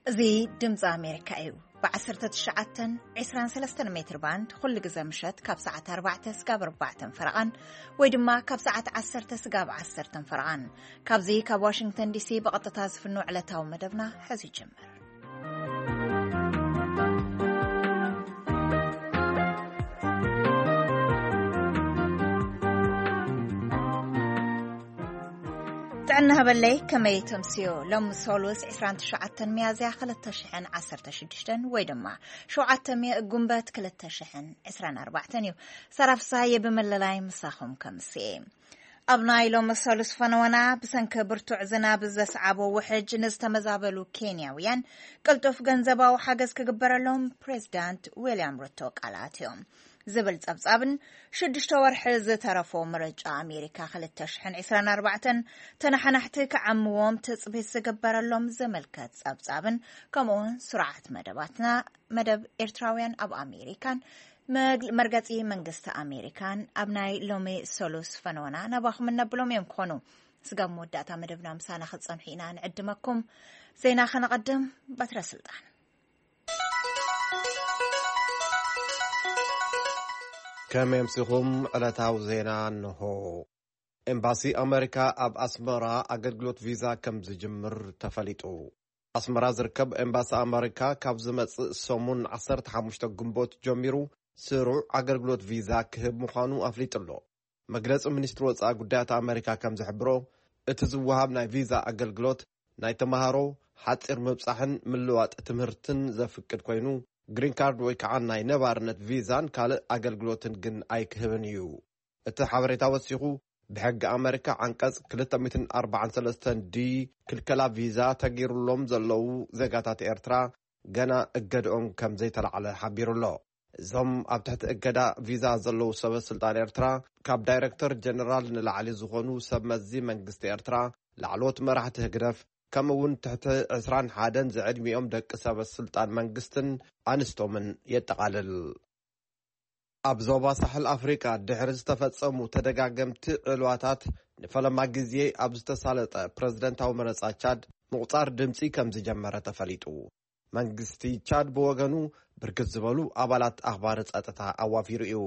እዚ ድምፂ ኣሜሪካ እዩ። ብ19 23 ሜትር ባንድ ኩሉ ግዜ ምሸት ካብ ሰዓት ኣርባዕተ ስጋብ ኣርባዕተን ፈረቓን፣ ወይ ድማ ካብ ሰዓት ዓሰርተ ስጋብ ዓሰርተን ፈረቓን። ካብዚ ካብ ዋሽንግተን ዲሲ ብቐጥታ ዝፍኖ ዕለታዊ መደብና ሕዚ ይጅምር። ጥዕና ሃበለይ፣ ከመይ ተምስዮ? ሎም ሶሉስ 29 ሚያዝያ 2016 ወይ ድማ 7 ጉንበት 2024 እዩ። ሰራፍሳየ ብምልላይ ምሳኹም ከምስየ። ኣብ ናይ ሎም ሶሉስ ፈነወና፣ ብሰንኪ ብርቱዕ ዝናብ ዘስዓቦ ውሕጅ ንዝተመዛበሉ ኬንያውያን ቅልጡፍ ገንዘባዊ ሓገዝ ክግበረሎም ፕሬዚዳንት ዊልያም ሩቶ ቃል ኣትዮም ዝብል ጸብጻብን ሽዱሽተ ወርሒ ዝተረፎ ምርጫ ኣሜሪካ 2024 ተነሓናሕቲ ክዓምዎም ትጽቢት ዝግበረሎም ዝምልከት ጸብጻብን፣ ከምኡውን ስርዓት መደባትና፣ መደብ ኤርትራውያን ኣብ ኣሜሪካን መግ- መርገጺ መንግስቲ ኣሜሪካን ኣብ ናይ ሎሚ ሰሉስ ፈነወና ናባኹም እነብሎም እዮም ክኾኑ። ስጋብ መወዳእታ መደብና ምሳና ክትጸንሑ ኢና ንዕድመኩም። ዜና ከነቐድም። በትረ ስልጣን። ከመይ ኣምሲኹም? ዕለታዊ ዜና እንሆ። ኤምባሲ ኣመሪካ ኣብ ኣስመራ ኣገልግሎት ቪዛ ከም ዝጅምር ተፈሊጡ። ኣስመራ ዝርከብ ኤምባሲ ኣመሪካ ካብ ዝመጽእ ሰሙን 15 ግንቦት ጀሚሩ ስሩዕ ኣገልግሎት ቪዛ ክህብ ምዃኑ ኣፍሊጡ ኣሎ። መግለጺ ሚኒስትሪ ወጻኢ ጉዳያት ኣመሪካ ከም ዝሕብሮ፣ እቲ ዝወሃብ ናይ ቪዛ ኣገልግሎት ናይ ተማሃሮ፣ ሓጺር ምብጻሕን ምልዋጥ ትምህርትን ዘፍቅድ ኮይኑ፣ ግሪን ካርድ ወይ ከዓ ናይ ነባርነት ቪዛን ካልእ ኣገልግሎትን ግን ኣይክህብን እዩ። እቲ ሓበሬታ ወሲኹ፣ ብሕጊ ኣመሪካ ዓንቀጽ 243 ዲ ክልከላ ቪዛ ተገይሩሎም ዘለዉ ዜጋታት ኤርትራ ገና እገድኦም ከም ዘይተላዕለ ሓቢሩ ኣሎ። እዞም ኣብ ትሕቲ እገዳ ቪዛ ዘለዉ ሰበ ስልጣን ኤርትራ፣ ካብ ዳይረክተር ጀነራል ንላዕሊ ዝኾኑ ሰብ መዚ መንግስቲ ኤርትራ፣ ላዕለዎት መራሕቲ ህግደፍ፣ ከምኡ እውን ትሕቲ 21 ዝዕድሚኦም ደቂ ሰበ ስልጣን መንግስትን ኣንስቶምን የጠቓልል። ኣብ ዞባ ሳሕል ኣፍሪቃ ድሕሪ ዝተፈጸሙ ተደጋገምቲ ዕልዋታት ንፈለማ ግዜ ኣብ ዝተሳለጠ ፕረዚደንታዊ መረጻ ቻድ ምቑጻር ድምጺ ከም ዝጀመረ ተፈሊጡ። መንግስቲ ቻድ ብወገኑ ብርክት ዝበሉ ኣባላት ኣኽባሪ ጸጥታ ኣዋፊሩ እዩ።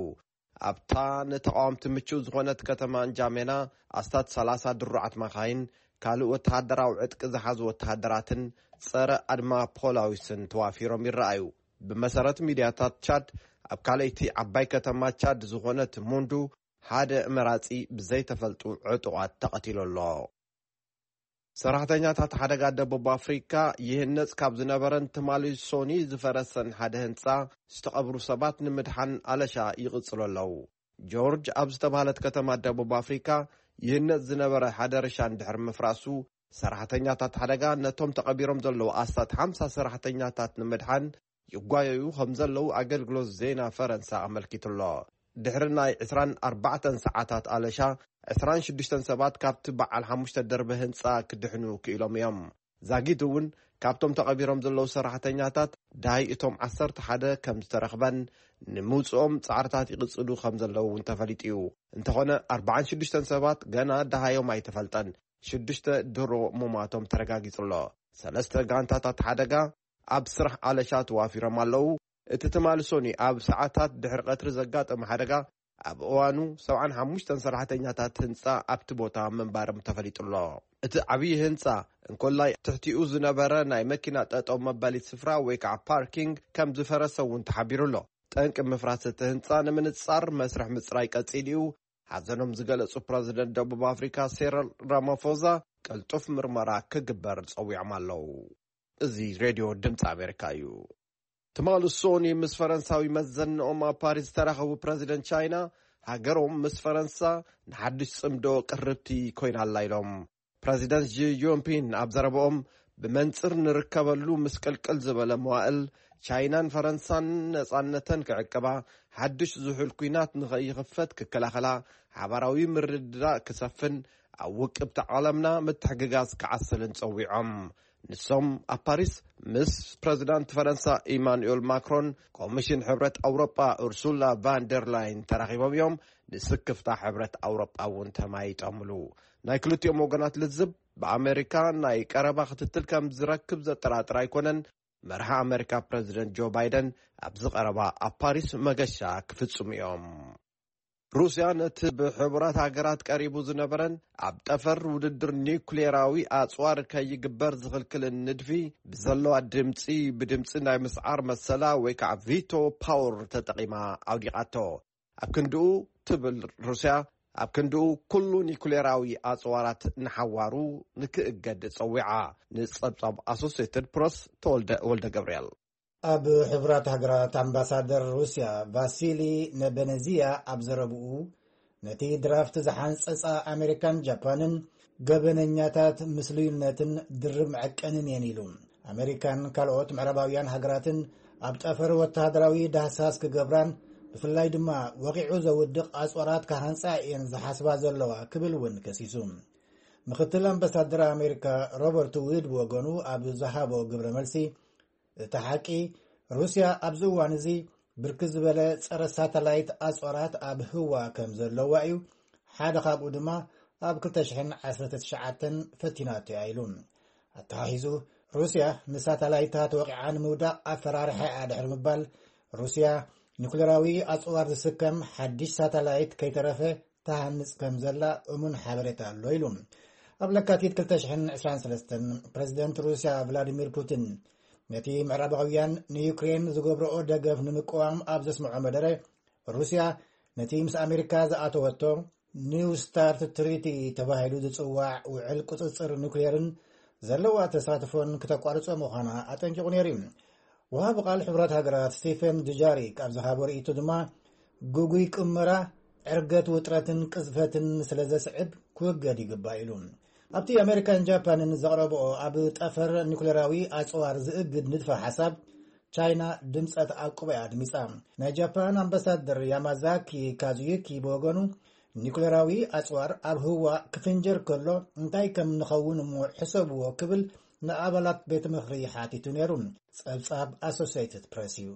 ኣብታ ንተቓወምቲ ምቹእ ዝኾነት ከተማ እንጃሜና ኣስታት 30 ድሩዓት መኻይን፣ ካልእ ወተሃደራዊ ዕጥቂ ዝሓዙ ወተሃደራትን ጸረ ኣድማ ፖላዊስን ተዋፊሮም ይረኣዩ። ብመሰረት ሚድያታት ቻድ፣ ኣብ ካልኣይቲ ዓባይ ከተማ ቻድ ዝኾነት ሙንዱ ሓደ መራጺ ብዘይተፈልጡ ዕጡቓት ተቐቲሉ ኣሎ። ሰራሕተኛታት ሓደጋ ደቡብ ኣፍሪካ ይህነጽ ካብ ዝነበረን ትማሊ ሶኒ ዝፈረሰን ሓደ ህንጻ ዝተቐብሩ ሰባት ንምድሓን ኣለሻ ይቕጽሉ ኣለዉ። ጆርጅ ኣብ ዝተባህለት ከተማ ደቡብ ኣፍሪካ ይህነጽ ዝነበረ ሓደ ርሻ እንድሕር ምፍራሱ፣ ሰራሕተኛታት ሓደጋ ነቶም ተቐቢሮም ዘለዉ ኣስታት ሓምሳ ሰራሕተኛታት ንምድሓን ይጓየዩ ከም ዘለዉ ኣገልግሎት ዜና ፈረንሳ ኣመልኪቱ ኣሎ። ድሕሪ ናይ 24 ሰዓታት ኣለሻ፣ 26 ሰባት ካብቲ በዓል ሓሙሽተ ደርቢ ህንጻ ክድሕኑ ክኢሎም እዮም። ዛጊት እውን ካብቶም ተቐቢሮም ዘለዉ ሰራሕተኛታት ዳሃይ እቶም 11 ከም ዝተረኽበን ንምውጽኦም ጻዕርታት ይቕጽሉ ከም ዘለዉ እውን ተፈሊጡ እዩ። እንተኾነ 46 ሰባት ገና ደሃዮም ኣይተፈልጠን። ሽዱሽተ ድሮ ምሟቶም ተረጋጊጹ ኣሎ። ሰለስተ ጋንታታት ሓደጋ ኣብ ስራሕ ኣለሻ ተዋፊሮም ኣለዉ። እቲ ትማሊ ሶኒ ኣብ ሰዓታት ድሕሪ ቀትሪ ዘጋጠመ ሓደጋ፣ ኣብ እዋኑ 75 ሰራሕተኛታት ህንጻ ኣብቲ ቦታ ምንባሮም ተፈሊጡ ኣሎ። እቲ ዓብዪ ህንጻ እንኮላይ ትሕቲኡ ዝነበረ ናይ መኪና ጠጠው መበሊ ስፍራ ወይ ከዓ ፓርኪንግ ከም ዝፈረሰ እውን ተሓቢሩ ኣሎ። ጠንቂ ምፍራስ እቲ ህንጻ ንምንጻር መስርሕ ምጽራይ ቀጺሉ እዩ። ሓዘኖም ዝገለጹ ፕረዚደንት ደቡብ ኣፍሪካ ሴረል ራማፎዛ ቅልጡፍ ምርመራ ክግበር ጸዊዖም ኣለዉ። እዚ ሬድዮ ድምፂ ኣሜሪካ እዩ። ትማሊ ሶኒ ምስ ፈረንሳዊ መዘንኦም ኣብ ፓሪስ ዝተራኸቡ ፕረዚደንት ቻይና፣ ሃገሮም ምስ ፈረንሳ ንሓድሽ ጽምዶ ቅርብቲ ኮይና ኣላ ኢሎም። ፕረዚደንት ጂ ጂንፒን ኣብ ዘረብኦም፣ ብመንጽር ንርከበሉ ምስቅልቅል ዝበለ መዋእል፣ ቻይናን ፈረንሳን ነጻነተን ክዕቅባ፣ ሓድሽ ዝሑል ኲናት ንኸይኽፈት ክከላኸላ፣ ሓባራዊ ምርድዳእ ክሰፍን፣ ኣብ ውቅብቲ ዓለምና ምትሕግጋዝ ክዓስልን ጸዊዖም። ንሶም ኣብ ፓሪስ ምስ ፕረዚዳንት ፈረንሳ ኢማኑኤል ማክሮን፣ ኮሚሽን ሕብረት ኣውሮጳ ኡርሱላ ቫን ደር ላይን ተራኺቦም እዮም። ንስክፍታ ሕብረት ኣውሮጳ እውን ተማይጦምሉ። ናይ ክልቲኦም ወገናት ልዝብ ብኣመሪካ ናይ ቀረባ ክትትል ከም ዝረክብ ዘጠራጥር ኣይኮነን። መርሒ ኣመሪካ ፕረዚደንት ጆ ባይደን ኣብዚ ቀረባ ኣብ ፓሪስ መገሻ ክፍጽሙ እዮም። ሩስያ ነቲ ብሕቡራት ሃገራት ቀሪቡ ዝነበረን ኣብ ጠፈር ውድድር ኒውክሌራዊ ኣጽዋር ከይግበር ዝኽልክልን ንድፊ ብዘለዋ ድምጺ ብድምጺ ናይ ምስዓር መሰላ ወይ ከዓ ቪቶ ፓወር ተጠቒማ ኣውዲቓቶ። ኣብ ክንድኡ ትብል ሩስያ፣ ኣብ ክንድኡ ኩሉ ኒውክሌራዊ ኣጽዋራት ንሓዋሩ ንክእገድ ጸዊዓ። ንጸብጻብ ኣሶሴትድ ፕረስ ተወልደ ወልደ ገብርኤል። ኣብ ሕቡራት ሃገራት ኣምባሳደር ሩስያ ቫሲሊ ነበነዚያ ኣብ ዘረብኡ፣ ነቲ ድራፍት ዝሓንጸጻ ኣሜሪካን ጃፓንን ገበነኛታት ምስሉይነትን ድርብ መዐቀንን እየን ኢሉ። ኣሜሪካን ካልኦት ምዕራባውያን ሃገራትን ኣብ ጠፈር ወተሃደራዊ ዳህሳስ ክገብራን ብፍላይ ድማ ወቂዑ ዘውድቕ ኣጽዋራት ክሃንጻ እየን ዝሓስባ ዘለዋ ክብል እውን ከሲሱ። ምክትል ኣምባሳደር ኣሜሪካ ሮበርት ውድ ብወገኑ ኣብ ዝሃቦ ግብረ መልሲ፣ እቲ ሓቂ፣ ሩስያ ኣብዚ እዋን እዚ ብርክት ዝበለ ጸረ ሳተላይት ኣጽዋራት ኣብ ህዋ ከም ዘለዋ እዩ። ሓደ ካብኡ ድማ ኣብ ክልተ ሽሕን ዓሰርተ ትሽዓተን ፈቲናቶ እያ ኢሉ። ኣተሓሒዙ፣ ሩስያ ንሳተላይታት ወቂዓ ንምውዳቕ ኣፈራሪሓ እያ ድሕሪ ምባል፣ ሩስያ ኒኩሌራዊ ኣጽዋር ዝስከም ሓድሽ ሳተላይት ከይተረፈ ትሃንጽ ከም ዘላ እሙን ሓበሬታ ኣሎ ኢሉ። ኣብ ለካቲት ክልተ ሽሕን ዕስራን ሰለስተን ፕረዚደንት ሩስያ ቭላዲሚር ፑቲን ነቲ ምዕራባውያን ንዩክሬን ዝገብርኦ ደገፍ ንምቅዋም ኣብ ዘስምዖ መደረ፣ ሩስያ ነቲ ምስ ኣሜሪካ ዝኣተወቶ ኒው ስታርት ትሪቲ ተባሂሉ ዝጽዋዕ ውዕል ቁጽጽር ኑክሌርን ዘለዋ ተሳትፎን ክተቋርጾ ምዃና ኣጠንቂቑ ነይሩ እዩ። ወሃቢ ቃል ሕቡራት ሃገራት ስቴፈን ዱጃሪክ ኣብ ዝሃቦ ርእይቶ ድማ፣ ግጉይ ቅመራ፣ ዕርገት ውጥረትን ቅዝፈትን ስለ ዘስዕብ ክውገድ ይግባእ ኢሉ። ኣብቲ ኣሜሪካን ጃፓንን ዘቕረብኦ ኣብ ጠፈር ኒኩሌራዊ ኣጽዋር ዝእግድ ንድፈ ሓሳብ፣ ቻይና ድምጸ ተኣቅቦ እያ ኣድሚጻ። ናይ ጃፓን ኣምባሳደር ያማዛኪ ካዙዩኪ ብወገኑ፣ ኒኩሌራዊ ኣጽዋር ኣብ ህዋ ክፍንጀር ከሎ እንታይ ከም ንኸውን እሞ ሕሰብዎ ክብል ንኣባላት ቤት ምኽሪ ሓቲቱ ነይሩ። ጸብጻብ ኣሶሲየትድ ፕሬስ እዩ።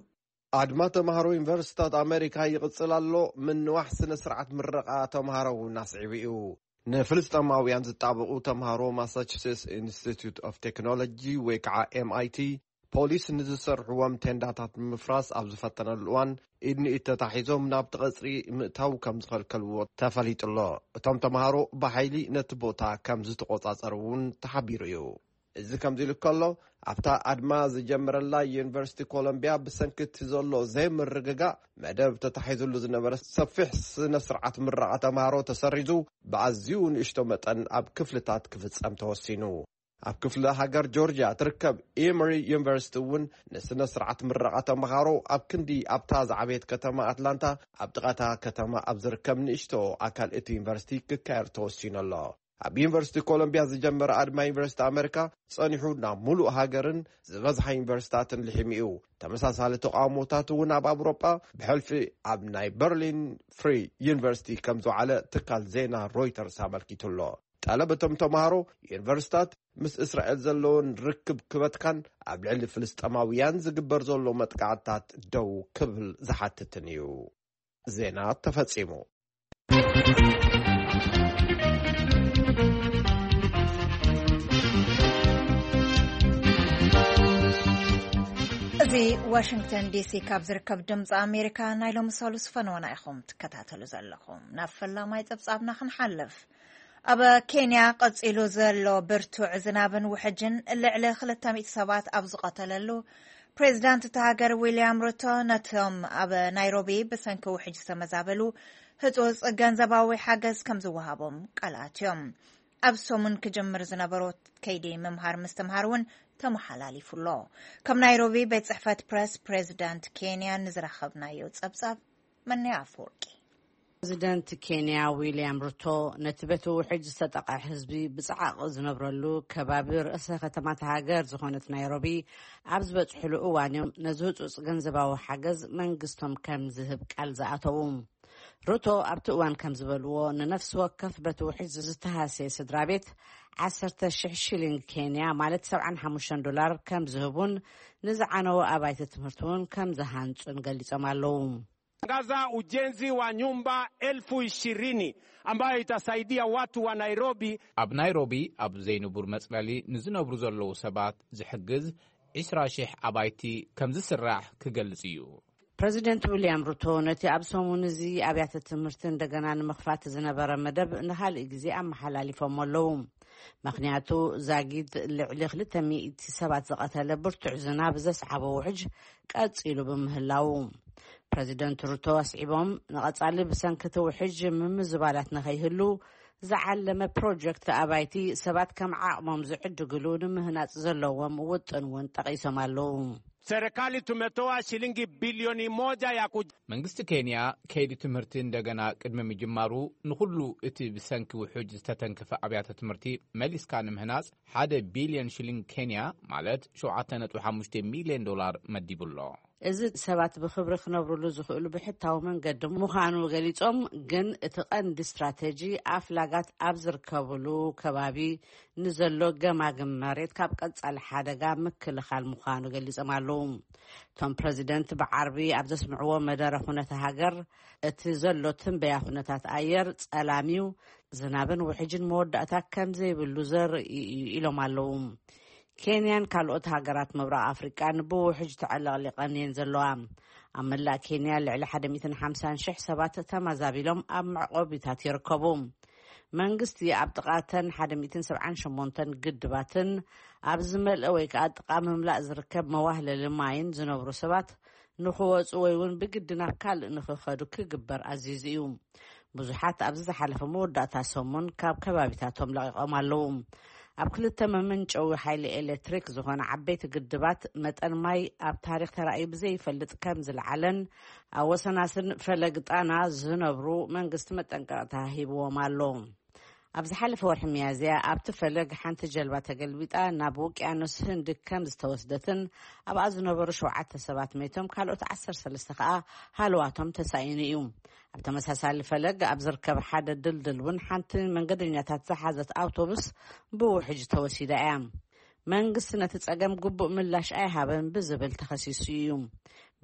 ኣድማ ተምሃሮ ዩኒቨርሲታት ኣሜሪካ ይቕጽል ኣሎ። ምንዋሕ ስነ ስርዓት ምረቓ ተምሃሮ እውን ኣስዒቡ እዩ። ንፍልስጤማውያን ዝጣበቑ ተምሃሮ ማሳቹሴትስ ኢንስቲትዩት ኦፍ ቴክኖሎጂ ወይ ከዓ ኤምኣይቲ፣ ፖሊስ ንዝሰርሕዎም ቴንዳታት ንምፍራስ ኣብ ዝፈተነሉ እዋን፣ ኢድ ንኢድ ተታሒዞም ናብቲ ቀጽሪ ምእታው ከም ዝኸልከልዎ ተፈሊጡ ኣሎ። እቶም ተምሃሮ ብሓይሊ ነቲ ቦታ ከም ዝተቖጻጸሩ እውን ተሓቢሩ እዩ። እዚ ከምዚ ኢሉ ከሎ፣ ኣብታ ኣድማ ዝጀመረላ ዩኒቨርሲቲ ኮሎምቢያ፣ ብሰንኪ እቲ ዘሎ ዘይምርግጋእ፣ መደብ ተታሒዙሉ ዝነበረ ሰፊሕ ስነ ስርዓት ምረቓ ተምሃሮ ተሰሪዙ፣ ብኣዝዩ ንእሽቶ መጠን ኣብ ክፍልታት ክፍጸም ተወሲኑ። ኣብ ክፍለ ሃገር ጆርጅያ ትርከብ ኤመሪ ዩኒቨርሲቲ እውን ንስነ ስርዓት ምረቓ ተምሃሮ ኣብ ክንዲ ኣብታ ዝዓበየት ከተማ ኣትላንታ፣ ኣብ ጥቓታ ከተማ ኣብ ዝርከብ ንእሽቶ ኣካል እቲ ዩኒቨርሲቲ ክካየድ ተወሲኑ ኣሎ። ኣብ ዩኒቨርሲቲ ኮሎምቢያ ዝጀመረ ኣድማ ዩኒቨርሲቲ ኣሜሪካ ጸኒሑ ናብ ሙሉእ ሃገርን ዝበዝሓ ዩኒቨርሲታትን ልሒሙ እዩ። ተመሳሳሊ ተቃውሞታት እውን ኣብ ኣውሮጳ ብሕልፊ ኣብ ናይ በርሊን ፍሪ ዩኒቨርሲቲ ከም ዝወዓለ ትካል ዜና ሮይተርስ ኣመልኪቱ ኣሎ። ጠለብ እቶም ተምሃሮ፣ ዩኒቨርሲታት ምስ እስራኤል ዘለውን ርክብ ክበትካን ኣብ ልዕሊ ፍልስጤማውያን ዝግበር ዘሎ መጥቃዕትታት ደው ክብል ዝሓትትን እዩ። ዜና ተፈጺሙ። እዚ ዋሽንግተን ዲሲ ካብ ዝርከብ ድምፂ ኣሜሪካ ናይ ሎሚ ሰሉስ ፈነወና ኢኹም ትከታተሉ ዘለኹም። ናብ ፈላማይ ፀብፃብና ክንሓልፍ። ኣብ ኬንያ ቀጺሉ ዘሎ ብርቱዕ ዝናብን ውሕጅን ልዕሊ ክልተ ሚእቲ ሰባት ኣብ ዝቐተለሉ፣ ፕሬዚዳንት እታ ሃገር ዊልያም ሩቶ ነቶም ኣብ ናይሮቢ ብሰንኪ ውሕጅ ዝተመዛበሉ ህጹጽ ገንዘባዊ ሓገዝ ከም ዝወሃቦም ቃል ኣትዮም። ኣብ ሰሙን ክጅምር ዝነበሮ ከይዲ ምምሃር ምስትምሃር እውን ተመሓላሊፉ ኣሎ። ካብ ናይሮቢ ቤት ጽሕፈት ፕረስ ፕሬዚዳንት ኬንያ ንዝረኸብናዮ ጸብጻብ መነያ ኣፈወርቂ። ፕሬዚደንት ኬንያ ዊልያም ሩቶ ነቲ በቲ ውሕጅ ዝተጠቕዐ ህዝቢ ብጸዓቕ ዝነብረሉ ከባቢ ርእሰ ከተማታ ሃገር ዝኾነት ናይሮቢ ኣብ ዝበጽሕሉ እዋን እዮም ነዚ ህጹጽ ገንዘባዊ ሓገዝ መንግስቶም ከም ዝህብ ቃል ዝኣተዉ። ሩቶ ኣብቲ እዋን ከም ዝበልዎ፣ ንነፍሲ ወከፍ በቲ ውሕጅ ዝተሃሰየ ስድራ ቤት ዓሰርተ ሽሕ ሽሊንግ ኬንያ፣ ማለት ሰብዓን ሓሙሽተን ዶላር ከም ዝህቡን ንዝዓነወ ኣባይቲ ትምህርቲ እውን ከም ዝሃንጹን ገሊጾም ኣለዉ። Kaza ujenzi wa nyumba elfu ishirini ambayo itasaidia watu wa Nairobi. ኣብ ናይሮቢ ኣብ ዘይንቡር መጽለሊ ንዝነብሩ ዘለዉ ሰባት ዝሕግዝ ዕስራ ሽሕ ኣባይቲ ከም ዝስራሕ ክገልጽ እዩ። ፕረዚደንት ዊልያም ሩቶ ነቲ ኣብ ሰሙን እዚ ኣብያተ ትምህርቲ እንደገና ንምኽፋት ዝነበረ መደብ ንኻልእ ግዜ ኣመሓላሊፎም ኣለዉ። ምኽንያቱ ዛጊድ ልዕሊ ክልተ ሚእቲ ሰባት ዝቐተለ ብርቱዕ ዝናብ ዘስዓቦ ውሕጅ ቀጺሉ ብምህላዉ። ፕረዚደንት ሩቶ ኣስዒቦም፣ ንቐጻሊ ብሰንኪ እቲ ውሕጅ ምምዝባላት ንኸይህሉ ዝዓለመ ፕሮጀክት ኣባይቲ ሰባት ከም ዓቕሞም ዝዕድግሉ ንምህናጽ ዘለዎም ውጥን እውን ጠቒሶም ኣለዉ። Serikali tumetoa shilingi bilioni moja ya ku መንግስቲ ኬንያ ከይዲ ትምህርቲ እንደገና ቅድሚ ምጅማሩ ንኹሉ እቲ ብሰንኪ ውሑጅ ዝተተንከፈ ኣብያተ ትምህርቲ መሊስካ ንምህናጽ ሓደ ቢልዮን ሽሊንግ ኬንያ፣ ማለት ሸውዓተ ነጥቢ ሓሙሽተ ሚልዮን ዶላር መዲቡ ኣሎ። እዚ ሰባት ብኽብሪ ክነብሩሉ ዝኽእሉ ብሕታዊ መንገዲ ምዃኑ ገሊጾም፣ ግን እቲ ቀንዲ ስትራተጂ ኣፍላጋት ኣብ ዝርከብሉ ከባቢ ንዘሎ ገማግም መሬት ካብ ቀጻሊ ሓደጋ ምክልኻል ምዃኑ ገሊጾም ኣለዉ። እቶም ፕረዚደንት ብዓርቢ ኣብ ዘስምዕዎ መደረ ኩነተ ሃገር፣ እቲ ዘሎ ትንበያ ኩነታት ኣየር ጸላም እዩ፣ ዝናብን ውሕጅን መወዳእታ ከም ዘይብሉ ዘርኢ እዩ ኢሎም ኣለዉ። ኬንያን ካልኦት ሃገራት ምብራቕ ኣፍሪቃን ብውሕጅ ተዕለቕሊቐን እየን ዘለዋ። ኣብ መላእ ኬንያ ልዕሊ ሓደ ሚእትን ሓምሳን ሽሕ ሰባት ተመዛቢሎም ኣብ መዕቆቢታት ይርከቡ። መንግስቲ ኣብ ጥቓ እተን ሓደ ሚእትን ሰብዓን ሸሞንተን ግድባትን ኣብ ዝመልአ ወይ ከዓ ጥቓ ምምላእ ዝርከብ መዋህለሊ ማይን ዝነብሩ ሰባት ንኽወፁ ወይ እውን ብግዲ ናብ ካልእ ንኽኸዱ ክግበር ኣዚዙ እዩ። ብዙሓት ኣብዚ ዝሓለፈ መወዳእታ ሰሙን ካብ ከባቢታቶም ለቒቖም ኣለዉ። ኣብ ክልተ መመንጨዊ ሓይሊ ኤሌክትሪክ ዝኾነ ዓበይቲ ግድባት መጠን ማይ ኣብ ታሪኽ ተራእዩ ብዘይፈልጥ ከም ዝለዓለን ኣብ ወሰናስን ፈለግ ጣና ዝነብሩ መንግስቲ መጠንቀቕታ ሂብዎም ኣሎ። ኣብ ዝሓለፈ ወርሒ ሚያዝያ ኣብቲ ፈለግ ሓንቲ ጀልባ ተገልቢጣ ናብ ውቅያኖስ ህንዲ ከም ዝተወስደትን ኣብኣ ዝነበሩ ሸውዓተ ሰባት መይቶም ካልኦት ዓሰርተ ሰለስተ ከኣ ሃለዋቶም ተሳኢኑ እዩ። ኣብ ተመሳሳሊ ፈለግ ኣብ ዝርከብ ሓደ ድልድል እውን ሓንቲ መንገደኛታት ዝሓዘት ኣውቶቡስ ብውሕጅ ተወሲዳ እያ። መንግስቲ ነቲ ጸገም ግቡእ ምላሽ ኣይሃበን ብዝብል ተኸሲሱ እዩ።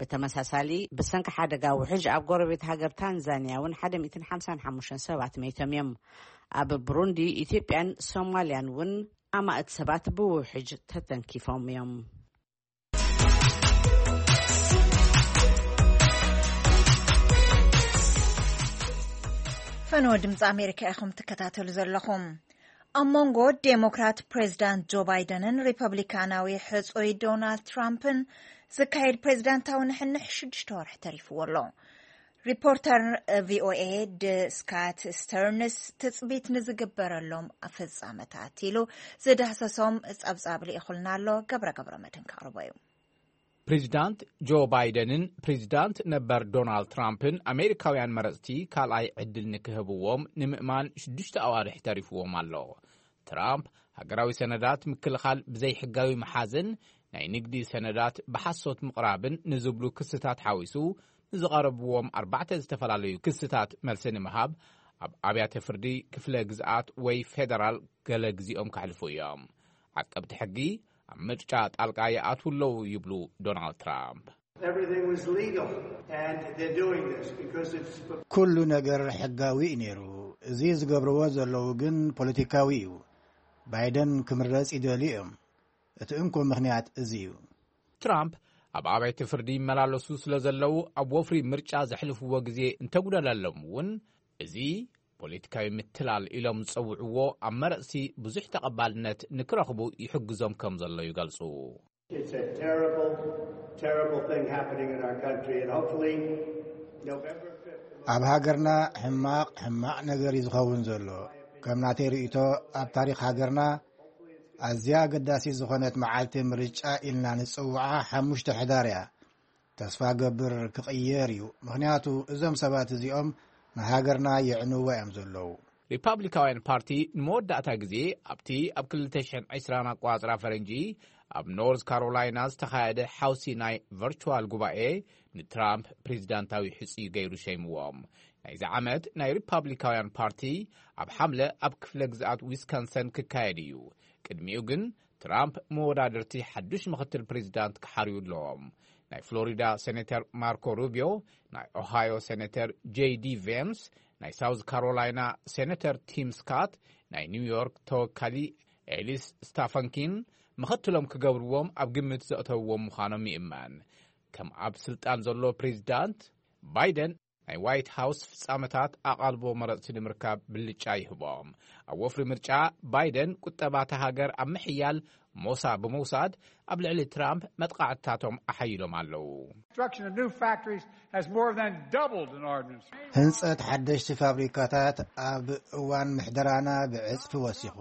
ብተመሳሳሊ ብሰንኪ ሓደጋ ውሕጅ ኣብ ጎረቤት ሃገር ታንዛንያ እውን ሓደ ሚእትን ሓምሳን ሓሙሽተን ሰባት መይቶም እዮም። ኣብ ብሩንዲ፣ ኢትዮጵያን ሶማልያን እውን ኣማእት ሰባት ብውሕጅ ተተንኪፎም እዮም። ፈነወ ድምፂ ኣሜሪካ ኢኹም ትከታተሉ ዘለኹም። ኣብ መንጎ ዴሞክራት ፕሬዚዳንት ጆ ባይደንን ሪፐብሊካናዊ ሕጹይ ዶናልድ ትራምፕን ዝካየድ ፕሬዚዳንታዊ ንሕንሕ ሽዱሽተ ወርሒ ተሪፍዎ ኣሎ። ሪፖርተር ቪኦኤ ድ ስካት ስተርንስ ትጽቢት ንዝግበረሎም ፍጻመታት ኢሉ ዝዳህሰሶም ጸብጻብ ልኢኹልና ኣሎ። ገብረ ገብረ መድህን ከቕርቦ እዩ። ፕሬዚዳንት ጆ ባይደንን ፕሬዚዳንት ነበር ዶናልድ ትራምፕን ኣሜሪካውያን መረጽቲ ካልኣይ ዕድል ንክህብዎም ንምእማን ሽዱሽተ ኣዋርሕ ተሪፍዎም ኣሎ። ትራምፕ ሃገራዊ ሰነዳት ምክልኻል ብዘይሕጋዊ ምሓዝን ናይ ንግዲ ሰነዳት ብሓሶት ምቕራብን ንዝብሉ ክስታት ሓዊሱ ንዝቐረብዎም ኣርባዕተ ዝተፈላለዩ ክስታት መልሲ ንምሃብ ኣብ ኣብያተ ፍርዲ ክፍለ ግዝኣት ወይ ፌደራል ገለ ግዜኦም ከሕልፉ እዮም። ዓቀብቲ ሕጊ ኣብ ምርጫ ጣልቃ ይኣትዉ ኣለዉ ይብሉ ዶናልድ ትራምፕ። Everything was legal, and they're doing this because it's for ኩሉ ነገር ሕጋዊ እዩ ነይሩ። እዚ ዝገብርዎ ዘለዉ ግን ፖለቲካዊ እዩ። ባይደን ክምረጽ ይደልዩ እዮም። እቲ እንኮ ምኽንያት እዚ እዩ። ትራምፕ ኣብ ኣብያተ ፍርዲ ይመላለሱ ስለ ዘለዉ ኣብ ወፍሪ ምርጫ ዘሕልፍዎ ግዜ እንተጉደለሎም እውን፣ እዚ ፖለቲካዊ ምትላል ኢሎም ዝጸውዕዎ ኣብ መረጽቲ ብዙሕ ተቐባልነት ንክረኽቡ ይሕግዞም ከም ዘሎ ይገልጹ። It's a terrible, terrible thing happening in our country, and hopefully November fifth. ኣብ ሃገርና ሕማቕ ሕማቕ ነገር እዩ ዝኸውን ዘሎ። ከም ናተይ ርእይቶ፣ ኣብ ታሪኽ ሃገርና ኣዝያ ኣገዳሲት ዝኾነት መዓልቲ ምርጫ ኢልና ንጽውዓ ሓሙሽተ ሕዳር እያ። ተስፋ ገብር ክቕየር እዩ። ምኽንያቱ እዞም ሰባት እዚኦም ንሃገርና የዕንዋ እዮም ዘለዉ። ሪፓብሊካውያን ፓርቲ ንመወዳእታ ግዜ ኣብቲ ኣብ ክልተ ሽሕን ዕስራን ኣቋጽራ ፈረንጂ ኣብ ኖርዝ ካሮላይና ዝተኻየደ ሓውሲ ናይ ቨርቹዋል ጉባኤ ንትራምፕ ፕሬዚዳንታዊ ሕጽዩ ገይሩ ሸይምዎም። ናይዚ ዓመት ናይ ሪፓብሊካውያን ፓርቲ ኣብ ሓምለ ኣብ ክፍለ ግዝኣት ዊስካንሰን ክካየድ እዩ። ቅድሚኡ ግን ትራምፕ መወዳድርቲ ሓዱሽ ምኽትል ፕሬዚዳንት ክሓርዩ ኣለዎም። ናይ ፍሎሪዳ ሴኔተር ማርኮ ሩቢዮ፣ ናይ ኦሃዮ ሴኔተር ጄዲ ቬንስ፣ ናይ ሳውዝ ካሮላይና ሴኔተር ቲም ስካት፣ ናይ ኒውዮርክ ተወካሊ ኤሊስ ስታፈንኪን ምኽትሎም ክገብርዎም ኣብ ግምት ዘእተውዎም ምዃኖም ይእመን። ከም ኣብ ስልጣን ዘሎ ፕሬዚዳንት፣ ባይደን ናይ ዋይት ሃውስ ፍጻመታት ኣቓልቦ መረጽቲ ንምርካብ ብልጫ ይህቦም። ኣብ ወፍሪ ምርጫ፣ ባይደን ቁጠባታ ሃገር ኣብ ምሕያል ሞሳ ብምውሳድ ኣብ ልዕሊ ትራምፕ መጥቓዕትታቶም ኣሓይሎም ኣለዉ። Construction of new factories has more than doubled in our administration. ህንጸት ሓደሽቲ ፋብሪካታት ኣብ እዋን ምሕደራና ብዕጽፊ ወሲኹ።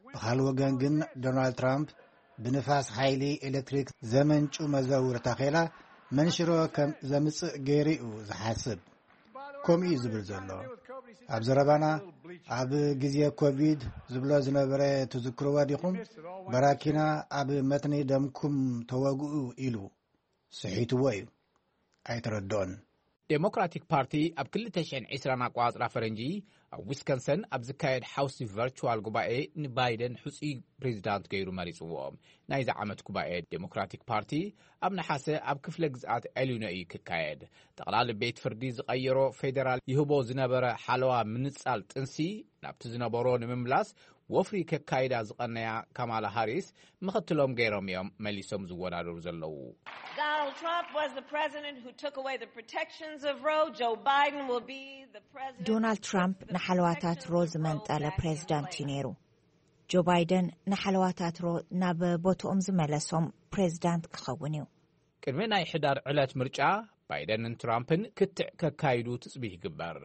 ብኻልእ ወገን ግን፣ ዶናልድ ትራምፕ ብንፋስ ሓይሊ ኤሌክትሪክ ዘመንጩ መዘውር ታኼላ መንሽሮ ከም ዘምጽእ ገይሩ እዩ ዝሓስብ። ከምኡ እዩ ዝብል ዘሎ። ኣብ ዘረባና፣ ኣብ ግዜ ኮቪድ ዝብሎ ዝነበረ ትዝክርዎ ዲኹም? በራኪና ኣብ መትኒ ደምኩም ተወግኡ ኢሉ። ስሒትዎ እዩ። ኣይተረድኦን። ዴሞክራቲክ ፓርቲ ኣብ ክልተ ሽሕን ዕስራን ኣቋጽራ ፈረንጂ ኣብ ዊስኮንሰን ኣብ ዝካየድ ሓውሲ ቨርቹዋል ጉባኤ ንባይደን ሕጹይ ፕሬዚዳንት ገይሩ መሪጽዎ። ናይዚ ዓመት ጉባኤ ዴሞክራቲክ ፓርቲ ኣብ ነሓሰ ኣብ ክፍለ ግዝኣት ኤሊኖ እዩ ክካየድ። ጠቕላሊ ቤት ፍርዲ ዝቐየሮ ፌደራል ይህቦ ዝነበረ ሓለዋ ምንጻል ጥንሲ ናብቲ ዝነበሮ ንምምላስ ወፍሪ ከካይዳ ዝቐነያ ካማላ ሃሪስ ምኽትሎም ገይሮም እዮም መሊሶም ዝወዳደሩ ዘለዉ። Donald Trump was the president who took away the protections of Roe. Joe Biden will be the president. ዶናልድ ትራምፕ ንሓለዋታት ሮ ዝመንጠለ ፕሬዚዳንት እዩ ነይሩ። ጆ ባይደን ንሓለዋታት ሮ ናብ ቦትኦም ዝመለሶም ፕሬዚዳንት ክኸውን እዩ። ቅድሚ ናይ ሕዳር ዕለት ምርጫ፣ ባይደንን ትራምፕን ክትዕ ከካይዱ ትጽቢት ይግበር።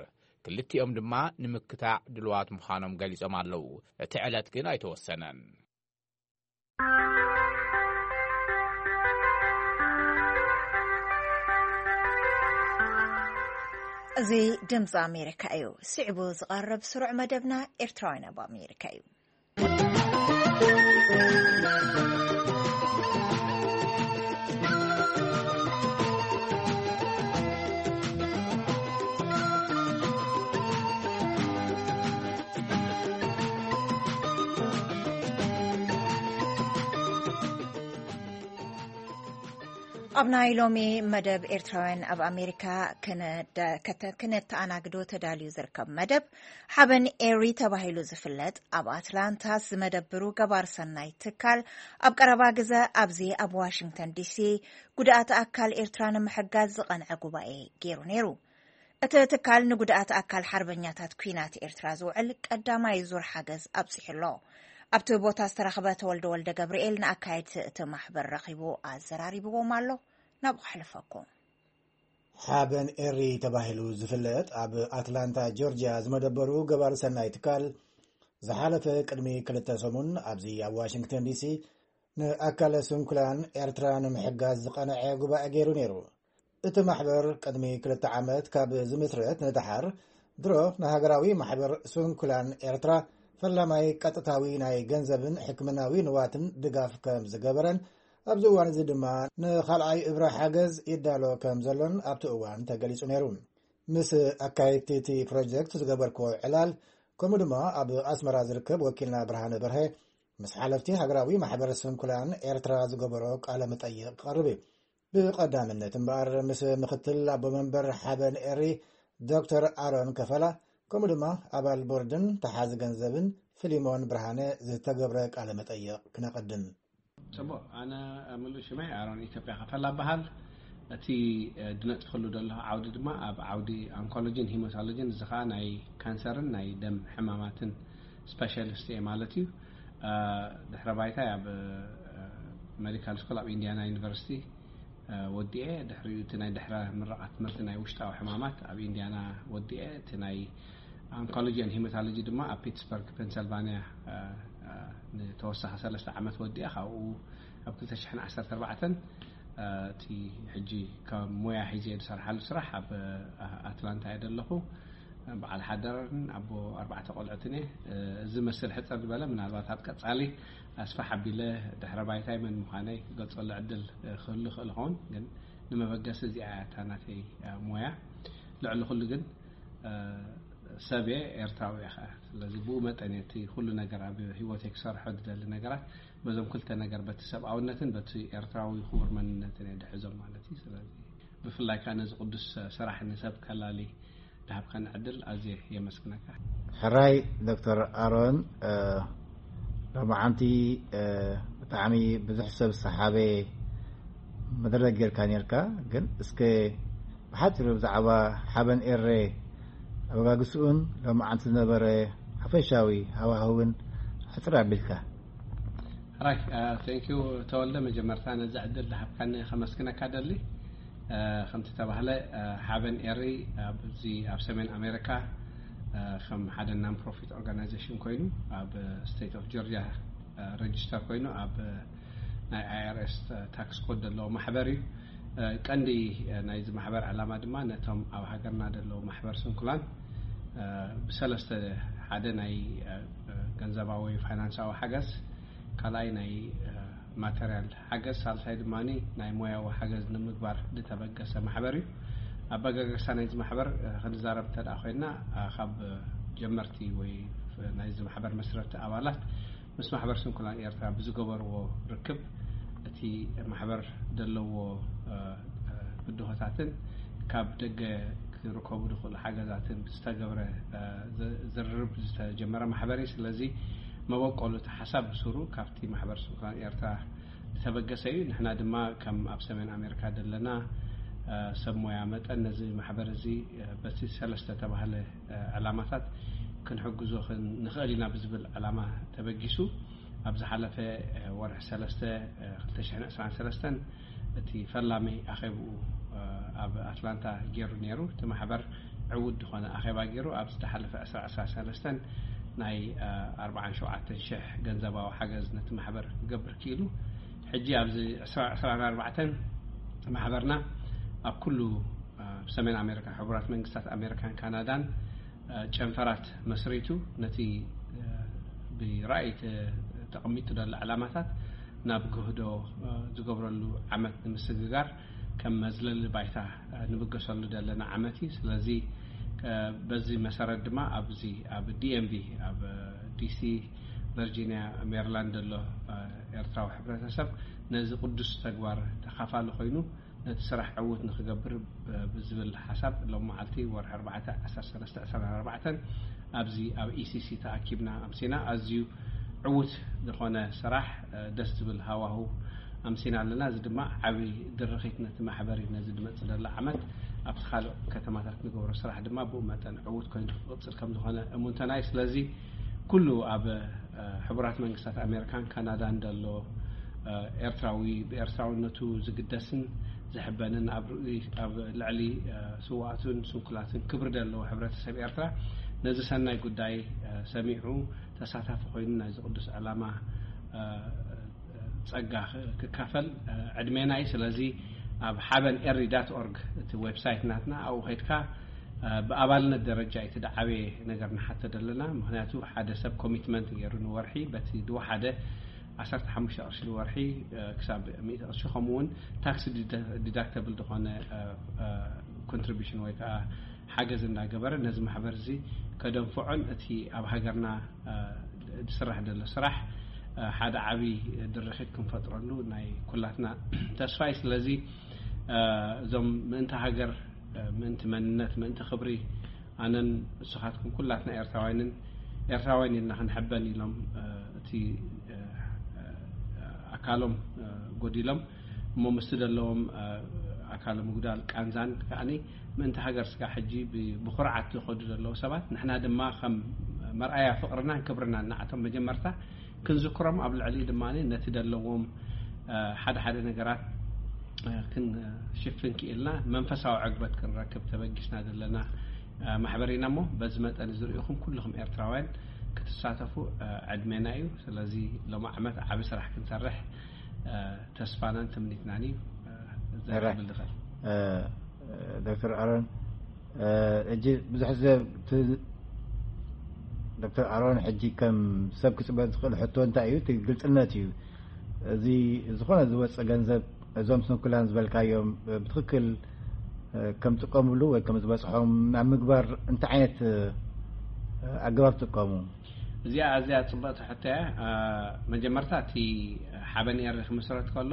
ክልቲኦም ድማ ንምክታዕ ድልዋት ምዃኖም ገሊጾም ኣለዉ። እቲ ዕለት ግን ኣይተወሰነን። እዚ ድምፂ ኣሜሪካ እዩ። ስዕቡ ዝቐርብ ስሩዕ መደብና ኤርትራውያን ኣብ ኣሜሪካ እዩ። ኣብ ናይ ሎሚ መደብ ኤርትራውያን ኣብ ኣሜሪካ ክነተኣናግዶ ተዳልዩ ዝርከብ መደብ፣ ሓበን ኤሪ ተባሂሉ ዝፍለጥ ኣብ ኣትላንታ ዝመደብሩ ገባር ሰናይ ትካል፣ ኣብ ቀረባ ግዘ ኣብዚ ኣብ ዋሽንግተን ዲሲ ጉድኣት ኣካል ኤርትራ ንምሕጋዝ ዝቐንዐ ጉባኤ ገይሩ ነይሩ። እቲ ትካል ንጉድኣት ኣካል ሓርበኛታት ኲናት ኤርትራ ዝውዕል ቀዳማይ ዙር ሓገዝ ኣብጺሑ ኣሎ። ኣብቲ ቦታ ዝተረኽበ ተወልደ ወልደ ገብርኤል ንኣካየድቲ እቲ ማሕበር ረኺቡ ኣዘራሪብዎም ኣሎ። ናብኡ ከሕልፈኩም። ሓበን ኤሪ ተባሂሉ ዝፍለጥ ኣብ ኣትላንታ ጆርጅያ ዝመደበሩ ገባር ሰናይ ትካል፣ ዝሓለፈ ቅድሚ ክልተ ሰሙን ኣብዚ ኣብ ዋሽንግተን ዲሲ ንኣካለ ስንኩላን ኤርትራ ንምሕጋዝ ዝቐነዐ ጉባኤ ገይሩ ነይሩ። እቲ ማሕበር ቅድሚ ክልተ ዓመት ካብ ዝምስረት ንደሓር፣ ድሮ ንሃገራዊ ማሕበር ስንኩላን ኤርትራ ፈላማይ ቀጥታዊ ናይ ገንዘብን ሕክምናዊ ንዋትን ድጋፍ ከም ዝገበረን፣ ኣብዚ እዋን እዚ ድማ ንኻልኣይ እብረ ሓገዝ ይዳሎ ከም ዘሎን ኣብቲ እዋን ተገሊጹ ነይሩ። ምስ ኣካየድቲ እቲ ፕሮጀክት ዝገበርክዎ ዕላል፣ ከምኡ ድማ ኣብ ኣስመራ ዝርከብ ወኪልና ብርሃነ በርሀ፣ ምስ ሓለፍቲ ሃገራዊ ማሕበር ስንኩላን ኤርትራ ዝገበሮ ቃለ መጠይቕ ክቐርብ እዩ። ብቐዳምነት እምበኣር፣ ምስ ምኽትል ኣቦ መንበር ሓበን ኤሪ፣ ዶክተር ኣሮን ከፈላ፣ ከምኡ ድማ ኣባል ቦርድን ተሓዚ ገንዘብን ፊሊሞን ብርሃነ ዝተገብረ ቃለ መጠይቕ ክነቐድም። ጽቡቕ። ኣነ ምሉእ ሽመይ ኣሮን ኢትዮጵያ ከፈላ እበሃል። እቲ ድነጥፈሉ ዘለኹ ዓውዲ ድማ ኣብ ዓውዲ ኣንኮሎጂን ሂማቶሎጂን፣ እዚ ኸኣ ናይ ካንሰርን ናይ ደም ሕማማትን ስፔሻሊስት እየ ማለት እዩ። ድሕረ ባይታይ ኣብ ሜዲካል ስኩል ኣብ ኢንዲያና ዩኒቨርሲቲ ወዲኤ፣ ድሕሪኡ እቲ ናይ ድሕረ ምረቓ ትምህርቲ ናይ ውሽጣዊ ሕማማት ኣብ ኢንዲያና ወዲኤ፣ እቲ ናይ ኣንኮሎጂ ን ሂማቶሎጂ ድማ ኣብ ፒትስበርግ ፔንሰልቫኒያ ንተወሳኺ ሰለስተ ዓመት ወዲኣ፣ ካብኡ ኣብ ክልተ ሽሕን ዓሰርተ ኣርባዕተን እቲ ሕጂ ከም ሞያ ሒዘ ዝሰርሓሉ ስራሕ ኣብ ኣትላንታ እየ ዘለኹ። በዓል ሓዳርን ኣቦ ኣርባዕተ ቆልዑትን እየ። እዚ መስል ሕፅር ዝበለ፣ ምናልባት ኣብ ቀፃሊ ኣስፋሕ ኣቢለ ድሕረ ባይታይ መን ምዃነይ ክገልፀሉ ዕድል ክህሉ ይኽእል ይኸውን፣ ግን ንመበገሲ እዚኣ እያ እታ ናተይ ሞያ። ልዕሊ ኩሉ ግን ሰብ እየ፣ ኤርትራዊ እየ ኸዓ። ስለዚ ብኡ መጠን እየ እቲ ኩሉ ነገር ኣብ ህይወተይ ክሰርሖ ዝደሊ ነገራት በዞም ክልተ ነገር፣ በቲ ሰብኣውነትን በቲ ኤርትራዊ ክቡር መንነትን እየ ድሕዞም ማለት እዩ። ስለዚ ብፍላይ ከዓ ነዚ ቅዱስ ስራሕ ንሰብ ከላሊ ድሃብካኒ ዕድል ኣዝየ የመስግነካ። ሕራይ ዶክተር ኣሮን፣ ሎማዓንቲ ብጣዕሚ ብዙሕ ሰብ ዝሰሓበ መደረክ ጌርካ ኔርካ። ግን እስከ ብሓፂሩ ብዛዕባ ሓበን ኤሬ ኣበጋግስኡን ሎማዓንቲ ዝነበረ ሓፈሻዊ ሃዋህውን ሕፅር ኣቢልካ። ሕራይ፣ ቴንኪዩ ተወልደ። መጀመርታ ነዚ ዕድል ዝሃብካኒ ከመስግነካ ደሊ። ከምቲ ተባህለ ሓበን ኤሪ ኣብዚ ኣብ ሰሜን ኣሜሪካ ከም ሓደ non profit organization ኮይኑ ኣብ state of Georgia register ኮይኑ ኣብ ናይ I R S tax code ዘለዎ ማሕበር እዩ። ቀንዲ ናይዚ ማሕበር ዕላማ ድማ ነቶም ኣብ ሃገርና ዘለዉ ማሕበር ስንኩላን ብሰለስተ፣ ሓደ ናይ ገንዘባዊ ፋይናንሳዊ ሓገዝ፣ ካልኣይ ናይ ማተርያል ሓገዝ፣ ሳልሳይ ድማ ናይ ሞያዊ ሓገዝ ንምግባር ዝተበገሰ ማሕበር እዩ። ኣበጋገሳ ናይዚ ማሕበር ክንዛረብ እንተ ኮይና፣ ካብ ጀመርቲ ወይ ናይዚ ማሕበር መስረቲ ኣባላት ምስ ማሕበር ስንኩላን ኤርትራ ብዝገበርዎ ርክብ፣ እቲ ማሕበር ዘለዎ ብድሆታትን ካብ ደገ ክርከቡ ዝኽእሉ ሓገዛትን ብዝተገብረ ዝርርብ ዝተጀመረ ማሕበር እዩ። ስለዚ መበቆሉ እቲ ሓሳብ ብሱሩ ካብቲ ማሕበር ስንኩላን ኤርትራ ዝተበገሰ እዩ። ንሕና ድማ ከም ኣብ ሰሜን ኣሜሪካ ዘለና ሰብ ሞያ መጠን ነዚ ማሕበር እዚ በቲ ሰለስተ ተባህለ ዕላማታት ክንሕግዞ ንኽእል ኢና ብዝብል ዕላማ ተበጊሱ ኣብ ዝሓለፈ ወርሒ ሰለስተ ክልተ ሽሕን ዕስራን ሰለስተን እቲ ፈላሚ ኣኼብኡ ኣብ ኣትላንታ ገይሩ ነይሩ። እቲ ማሕበር ዕዉት ዝኾነ ኣኼባ ገይሩ ኣብ ዝተሓለፈ ዕስራ ዕስራ ሰለስተን ናይ ኣርባዓን ሸውዓተን ሽሕ ገንዘባዊ ሓገዝ ነቲ ማሕበር ክገብር ክኢሉ። ሕጂ ኣብዚ ዕስራ ዕስራን ኣርባዕተን ማሕበርና ኣብ ኩሉ ኣብ ሰሜን ኣሜሪካ፣ ሕቡራት መንግስታት ኣሜሪካን ካናዳን ጨንፈራት መስሪቱ ነቲ ብራእይ ተቐሚጡ ዘሎ ዕላማታት ናብ ግህዶ ዝገብረሉ ዓመት ንምስግጋር ከም መዝለሊ ባይታ ንብገሰሉ ዘለና ዓመት እዩ። ስለዚ በዚ መሰረት ድማ ኣብዚ ኣብ D M V፣ ኣብ ዲሲ፣ ቨርጂኒያ፣ ሜሪላንድ ዘሎ ኤርትራዊ ሕብረተሰብ ነዚ ቅዱስ ተግባር ተኻፋሊ ኮይኑ ነቲ ስራሕ ዕዉት ንክገብር ብዝብል ሓሳብ ሎም መዓልቲ ወርሒ ኣርባዕተ ዓሰርተ ሰለስተ ዕስራን ኣርባዕተን ኣብዚ ኣብ E C C ተኣኪብና ኣምሲና። ኣዝዩ ዕዉት ዝኾነ ስራሕ፣ ደስ ዝብል ሃዋሁ ኣምሲና ኣለና። እዚ ድማ ዓቢ ድርኺት ነቲ ማሕበር እዩ። ነዚ ዝመጽእ ዘሎ ዓመት ኣብቲ ካልእ ከተማታት ንገብሮ ስራሕ ድማ ብኡ መጠን ዕዉት ኮይኑ ክቕጽል ከም ዝኾነ እሙንተና እዩ። ስለዚ ኩሉ ኣብ ሕቡራት መንግስታት ኣሜሪካን ካናዳን ዘሎ ኤርትራዊ ብኤርትራውነቱ ዝግደስን ዝሕበንን ኣብ ርእይ ኣብ ልዕሊ ስውኣቱን ስንኩላትን ክብሪ ዘለዎ ሕብረተሰብ ኤርትራ ነዚ ሰናይ ጉዳይ ሰሚዑ ተሳታፊ ኮይኑ ናይዚ ቅዱስ ዕላማ ጸጋ ክካፈል ዕድሜና እዩ። ስለዚ ኣብ ሓበን ኤሪ ዳት ኦርግ እቲ ዌብሳይት ናትና ኣብኡ ከይድካ ብኣባልነት ደረጃ እቲ ደዓበየ ነገር ንሓተ ዘለና። ምክንያቱ ሓደ ሰብ ኮሚትመንት ገይሩ ንወርሒ በቲ ዝወሓደ ዓሰርተ ሓሙሽተ ቅርሺ ንወርሒ ክሳብ ሚእቲ ቅርሺ፣ ከምኡ እውን ታክስ ዲዳክተብል ዝኾነ ኮንትሪቢሽን ወይ ከዓ ሓገዝ እንዳገበረ ነዚ ማሕበር እዚ ከደንፍዖን እቲ ኣብ ሃገርና ዝስራሕ ዘሎ ስራሕ ሓደ ዓብዪ ድርኺት ክንፈጥረሉ ናይ ኩላትና ተስፋ እዩ። ስለዚ እዞም ምእንቲ ሃገር፣ ምእንቲ መንነት፣ ምእንቲ ክብሪ ኣነን ንስኻትኩም ኩላትና ኤርትራውያንን ኤርትራውያን ኢልና ክንሕበን ኢሎም እቲ ኣካሎም ጎዲሎም እሞ ምስቲ ዘለዎም ኣካለ ምጉዳል ቃንዛን ከዓኒ ምእንቲ ሃገር ስጋ ሕጂ ብኩርዓት ዝኸዱ ዘለዉ ሰባት ንሕና ድማ ከም መርኣያ ፍቕርናን ክብርናን ንዓቶም መጀመርታ ክንዝክሮም ኣብ ልዕሊ ድማ ነቲ ዘለዎም ሓደ ሓደ ነገራት ክንሽፍን ክኢልና መንፈሳዊ ዕግበት ክንረክብ ተበጊስና ዘለና ማሕበር ኢና እሞ በዚ መጠን ዝርእኹም ኩልኹም ኤርትራውያን ክትሳተፉ ዕድሜና እዩ። ስለዚ ሎም ዓመት ዓቢ ስራሕ ክንሰርሕ ተስፋናን ትምኒትናን እዩ። ዘብል ድኸል ዶክተር ኣሮን፣ ሕጂ ብዙሕ ሰብ ዶክተር ኣሮን ሕጂ ከም ሰብ ክፅበ ዝኽእል ሕቶ እንታይ እዩ? እቲ ግልፅነት እዩ። እዚ ዝኾነ ዝወፀ ገንዘብ እዞም ስንኩላን ዝበልካዮም ብትክክል ከም ጥቀምሉ ወይ ከም ዝበፅሖም ናብ ምግባር እንታይ ዓይነት ኣገባብ ጥቀሙ? እዚኣ ኣዝያ ጽብቕቲ ሕቶ እያ። ኣ፣ መጀመርታ እቲ ሓበን ኤሪ ክምስረት ከሎ፣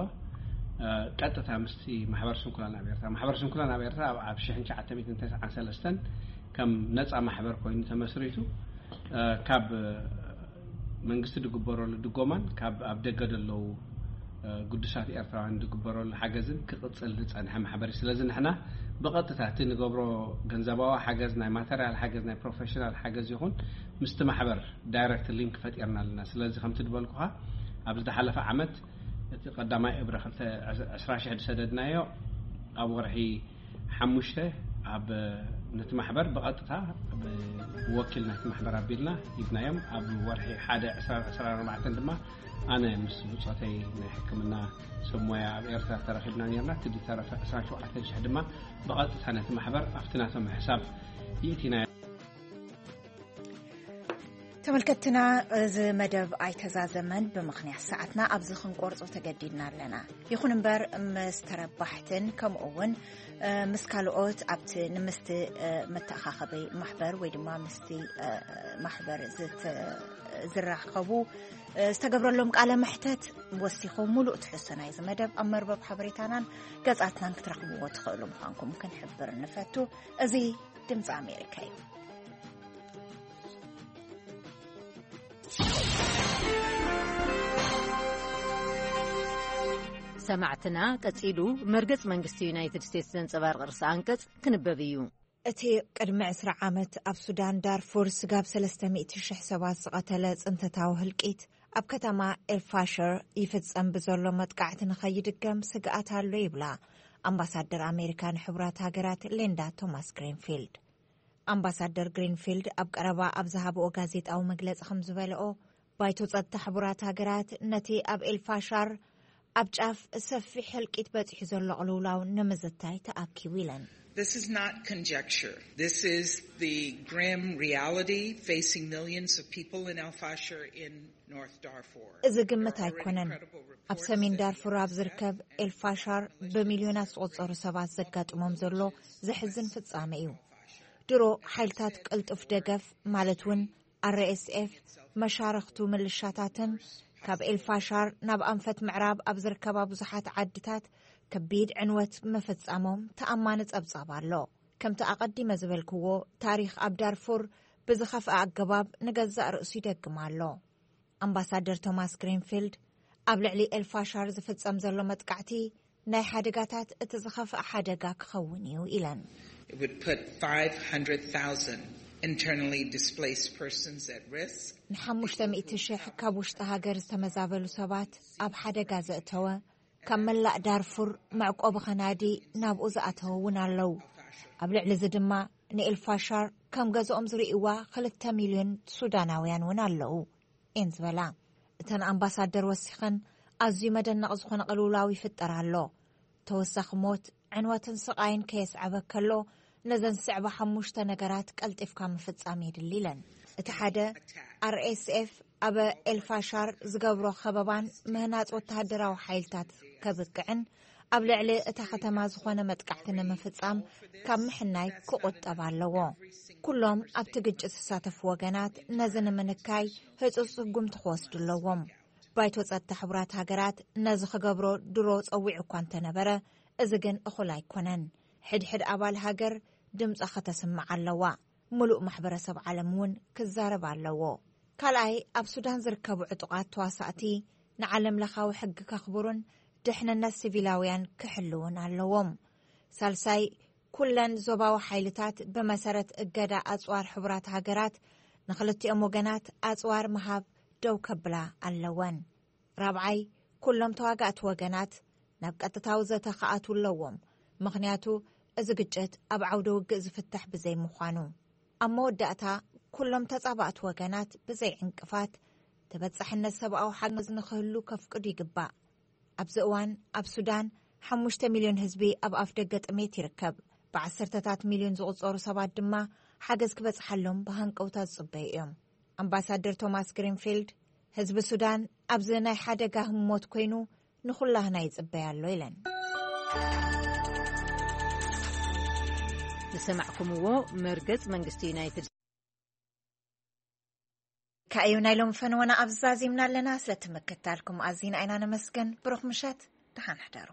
ኣ፣ ቀጥታ ምስቲ ማሕበር ስንኩላን ኣብ ኤርትራ፣ ማሕበር ስንኩላን ኣብ ኤርትራ ኣብ፣ ኣብ ሽሕን ትሽዓተ ሚእትን ተስዓን ሰለስተን ከም ነጻ ማሕበር ኮይኑ ተመስሪቱ፣ ኣ፣ ካብ መንግስቲ ዝግበረሉ ድጎማን ካብ ኣብ ደገ ዘለዉ፣ እ፣ ግዱሳት ኤርትራውያን ዝግበረሉ ሓገዝን ክቕጽል ዝጸንሐ ማሕበር እዩ። ስለዚ ንሕና ብቐጥታ እቲ ንገብሮ ገንዘባዊ ሓገዝ፣ ናይ ማተርያል ሓገዝ፣ ናይ ፕሮፌሽናል ሓገዝ ይኹን ምስቲ ማሕበር ዳይረክት ሊንክ ፈጢርና ኣለና። ስለዚ ከምቲ ዝበልኩኻ ኣብዚ ዝሓለፈ ዓመት እቲ ቀዳማይ እብረ ክልተ ዕስራ ሺሕ ዝሰደድናዮ ኣብ ወርሒ ሓሙሽተ ኣብ ነቲ ማሕበር ብቐጥታ ብወኪል ናይቲ ማሕበር ኣቢልና ሂብናዮም። ኣብ ወርሒ ሓደ ዕስራ ዕስራን ኣርባዕተን ድማ ኣነ ምስ ብጾተይ ናይ ሕክምና ሰብ ሞያ ኣብ ኤርትራ ተረኺብና ነርና። እቲ ዝተረፈ ዕስራን ሸውዓተን ሽሕ ድማ ብቐጥታ ነቲ ማሕበር ኣብቲ ናቶም ሕሳብ ይእቲናዮ። ተመልከትና፣ እዚ መደብ ኣይተዛዘመን። ብምኽንያት ሰዓትና ኣብዚ ክንቆርጾ ተገዲድና ኣለና። ይኹን እምበር፣ ምስ ተረባሕትን ከምኡ እውን፣ እ፣ ምስ ካልኦት ኣብቲ ንምስቲ፣ እ፣ መተኣኻኸቢ ማሕበር ወይ ድማ ምስቲ፣ እ፣ ማሕበር ዝት-፣ ዝራኸቡ፣ እ፣ ዝተገብረሎም ቃለ መሕተት ወሲኹ ሙሉእ ትሕዝቶ ናይዚ መደብ ኣብ መርበብ ሓበሬታናን ገጻትናን ክትረኽብዎ ትኽእሉ ምዃንኩም ክንሕብር ንፈቱ። እዚ ድምፂ ኣሜሪካ እዩ። ሰማዕትና፣ ቀጺሉ መርገጽ መንግስቲ ዩናይትድ ስቴትስ ዘንጸባርቕ ርእሰ ኣንቀጽ ክንበብ እዩ። እቲ ቅድሚ ዕስራ ዓመት ኣብ ሱዳን ዳርፉር ስጋብ ሰለስተ ሚእቲ ሽሕ ሰባት ዝቐተለ ጽንተታዊ ህልቂት፣ ኣብ ከተማ ኤልፋሽር ይፍጸም ብዘሎ መጥቃዕቲ ንኸይድገም ስግኣት ኣሎ ይብላ ኣምባሳደር ኣሜሪካ ንሕቡራት ሃገራት ሊንዳ ቶማስ ግሪንፊልድ። ኣምባሳደር ግሪንፊልድ ኣብ ቀረባ ኣብ ዝሃብኦ ጋዜጣዊ መግለጺ ከም ዝበለኦ፣ ባይቶ ጸጥታ ሕቡራት ሃገራት ነቲ ኣብ ኤልፋሻር ኣብ ጫፍ ሰፊሕ ህልቂት በጺሑ ዘሎ ቅልውላው ንምዝታይ ተኣኪቡ ኢለን። This is not conjecture. This is the grim reality facing millions of people in El Fasher in North Darfur. እዚ ግምት ኣይኮነን። ኣብ ሰሜን ዳርፉር ኣብ ዝርከብ ኤልፋሻር ብሚልዮናት ዝቑጸሩ ሰባት ዘጋጥሞም ዘሎ ዘሕዝን ፍጻመ እዩ። ድሮ ሓይልታት ቅልጡፍ ደገፍ፣ ማለት እውን ኣርኤስኤፍ፣ መሻርኽቱ ምልሻታትን ካብ ኤልፋሻር ናብ ኣንፈት ምዕራብ ኣብ ዝርከባ ብዙሓት ዓድታት ከቢድ ዕንወት ምፍጻሞም ተኣማኒ ጸብጻብ ኣሎ። ከምቲ ኣቐዲመ ዝበልክዎ፣ ታሪኽ ኣብ ዳርፉር ብዝኸፍአ ኣገባብ ንገዛእ ርእሱ ይደግም ኣሎ። ኣምባሳደር ቶማስ ግሪንፊልድ ኣብ ልዕሊ ኤልፋሻር ዝፍጸም ዘሎ መጥቃዕቲ ናይ ሓደጋታት እቲ ዝኸፍአ ሓደጋ ክኸውን እዩ ኢለን። It would put five hundred thousand internally displaced persons at risk. ንሓሙሽተ ሚእቲ ሽሕ ካብ ውሽጢ ሃገር ዝተመዛበሉ ሰባት ኣብ ሓደጋ ዘእተወ፣ ካብ መላእ ዳርፉር መዕቆቢ ኸናዲ ናብኡ ዝኣተወ እውን ኣለዉ። ኣብ ልዕሊ እዚ ድማ ንኤልፋሻር ከም ገዝኦም ዝርእይዋ ክልተ ሚልዮን ሱዳናውያን እውን ኣለዉ እየን ዝበላ። እተን ኣምባሳደር ወሲኸን፣ ኣዝዩ መደነቕ ዝኾነ ቅልውላው ይፍጠር ኣሎ። ተወሳኺ ሞት፣ ዕንወትን ስቓይን ከየስዐበ ከሎ፣ ነዘን ዝስዕባ ሓሙሽተ ነገራት ቀልጢፍካ ምፍጻም የድሊ ኢለን። እቲ ሓደ፣ ኣርኤስኤፍ ኣብ ኤልፋሻር ዝገብሮ ከበባን ምህናጽ ወተሃደራዊ ሓይልታት ከብቅዕን ኣብ ልዕሊ እታ ከተማ ዝኾነ መጥቃዕቲ ንምፍጻም ካብ ምሕናይ ክቑጠብ ኣለዎ። ኩሎም ኣብቲ ግጭት ዝሳተፉ ወገናት ነዚ ንምንካይ ህጹጽ ስጉምቲ ክወስዱ ኣለዎም። ባይቶ ጸጥታ ሕቡራት ሃገራት ነዚ ክገብሮ ድሮ ጸዊዑ እኳ እንተነበረ፣ እዚ ግን እኹል ኣይኮነን። ሕድሕድ ኣባል ሃገር ድምጻ ከተስምዕ ኣለዋ። ምሉእ ማሕበረሰብ ዓለም እውን ክዛረብ ኣለዎ። ካልኣይ፣ ኣብ ሱዳን ዝርከቡ ዕጡቓት ተዋሳእቲ ንዓለም ለኻዊ ሕጊ ከኽብሩን ድሕንነት ሲቪላውያን ክሕልውን ኣለዎም። ሳልሳይ፣ ኩለን ዞባዊ ሓይልታት ብመሰረት እገዳ ኣጽዋር ሕቡራት ሃገራት ንኽልቲኦም ወገናት ኣጽዋር ምሃብ ደው ከብላ ኣለወን። ራብዓይ፣ ኩሎም ተዋጋእቲ ወገናት ናብ ቀጥታዊ ዘተ ክኣትዉ ኣለዎም፣ ምኽንያቱ እዚ ግጭት ኣብ ዓውደ ውግእ ዝፍታሕ ብዘይ ምዃኑ። ኣብ መወዳእታ፣ ኩሎም ተጻባእቲ ወገናት ብዘይ ዕንቅፋት ተበጻሕነት ሰብኣዊ ሓገዝ ንኽህሉ ከፍቅዱ ይግባእ። ኣብዚ እዋን ኣብ ሱዳን ሓሙሽተ ሚልዮን ህዝቢ ኣብ ኣፍ ደገ ጥሜት ይርከብ። ብዓሰርተታት ሚልዮን ዝቑጸሩ ሰባት ድማ ሓገዝ ክበጽሓሎም ብሃንቀውታ ዝጽበዩ እዮም። ኣምባሳደር ቶማስ ግሪንፊልድ፣ ህዝቢ ሱዳን ኣብዚ ናይ ሓደጋ ህሞት ኮይኑ ንኹላህና ይጽበያ ኣሎ ኢለን። ዝሰማዕኩምዎ መርገጽ መንግስቲ ዩናይትድ ብዝታ እዩ ናይ ሎም ፈንወና ኣብዛዚምና ኣለና። ስለትምክታልኩም ኣዚና ኣይና ነመስገን። ብሩኽ ምሸት፣ ደሓን ሕደሩ።